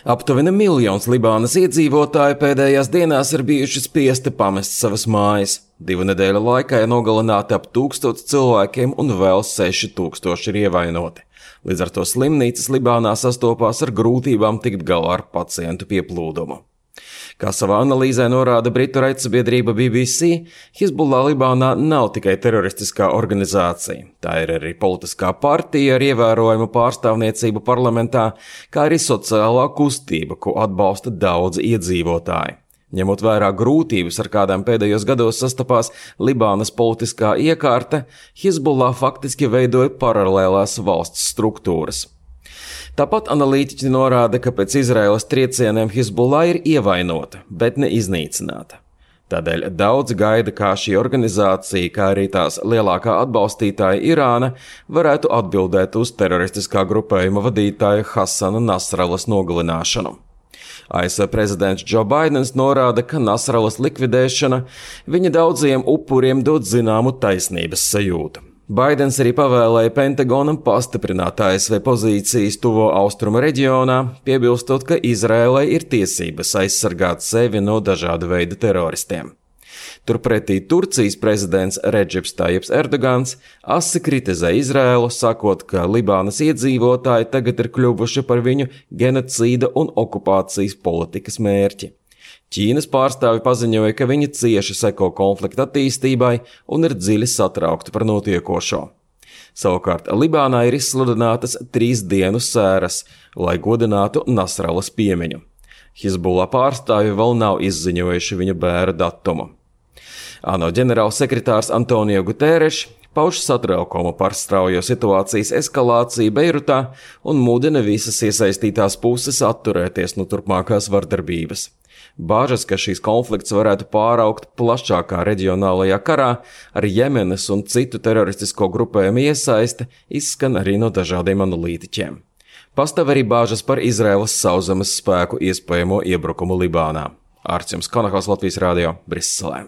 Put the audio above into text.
Aptuveni 1 miljons Libānas iedzīvotāji pēdējās dienās ir bijuši spiesti pamest savas mājas. 2 nedēļu laikā ir nogalināti ap 1000 cilvēkiem un vēl 6000 ir ievainoti. Līdz ar to slimnīcas Libānā sastopās ar grūtībām tikt galā ar pacientu pieplūdumu. Kā savā analīzē norāda britu raidsabiedrība BBC, Hizbullah Libānā nav tikai teroristiskā organizācija. Tā ir arī politiskā partija ar ievērojumu pārstāvniecību parlamentā, kā arī sociālā kustība, ko atbalsta daudzi iedzīvotāji. Ņemot vērā grūtības, ar kādām pēdējos gados sastapās Libānas politiskā iekārta, Hizbullah faktiski veidoja paralēlās valsts struktūras. Tāpat analītiķi norāda, ka pēc Izraēlas triecieniem Hizbullah ir ievainota, bet ne iznīcināta. Tādēļ daudzi gaida, kā šī organizācija, kā arī tās lielākā atbalstītāja Irāna, varētu atbildēt uz teroristiskā grupējuma vadītāja Hasana Nasralas nogalināšanu. ASV prezidents Joe Baidens norāda, ka Nasralas likvidēšana viņa daudziem upuriem dod zināmu taisnības sajūtu. Baidens arī pavēlēja Pentagonam pastiprināt ASV pozīcijas tuvo austrumu reģionā, piebilstot, ka Izraēlai ir tiesības aizsargāt sevi no dažāda veida teroristiem. Turpretī Turcijas prezidents Redžips Tajips Erdogans asi kritizē Izraēlu, sakot, ka Libānas iedzīvotāji tagad ir kļuvuši par viņu genocīda un okupācijas politikas mērķi. Ķīnas pārstāvi paziņoja, ka viņi cieši seko konflikta attīstībai un ir dziļi satraukti par notiekošo. Savukārt Libānā ir izsludinātas 3 dienu sēras, lai godinātu Nasralas piemiņu. Hizbullah pārstāvi vēl nav izziņojuši viņa bēra datumu. ANO ģenerālsekretārs Antonio Guterres pauž satraukumu par straujo situācijas eskalāciju Beirutā un mudina visas iesaistītās puses atturēties no turpmākās vardarbības. Bāžas, ka šīs konflikts varētu pāraugt plašākā reģionālajā karā ar Jemenas un citu teroristisko grupējumu iesaiste, izskan arī no dažādiem analītiķiem. Pastāv arī bāžas par Izraēlas sauszemes spēku iespējamo iebrukumu Libānā. Ārts Konahals, Latvijas radio, Briselē.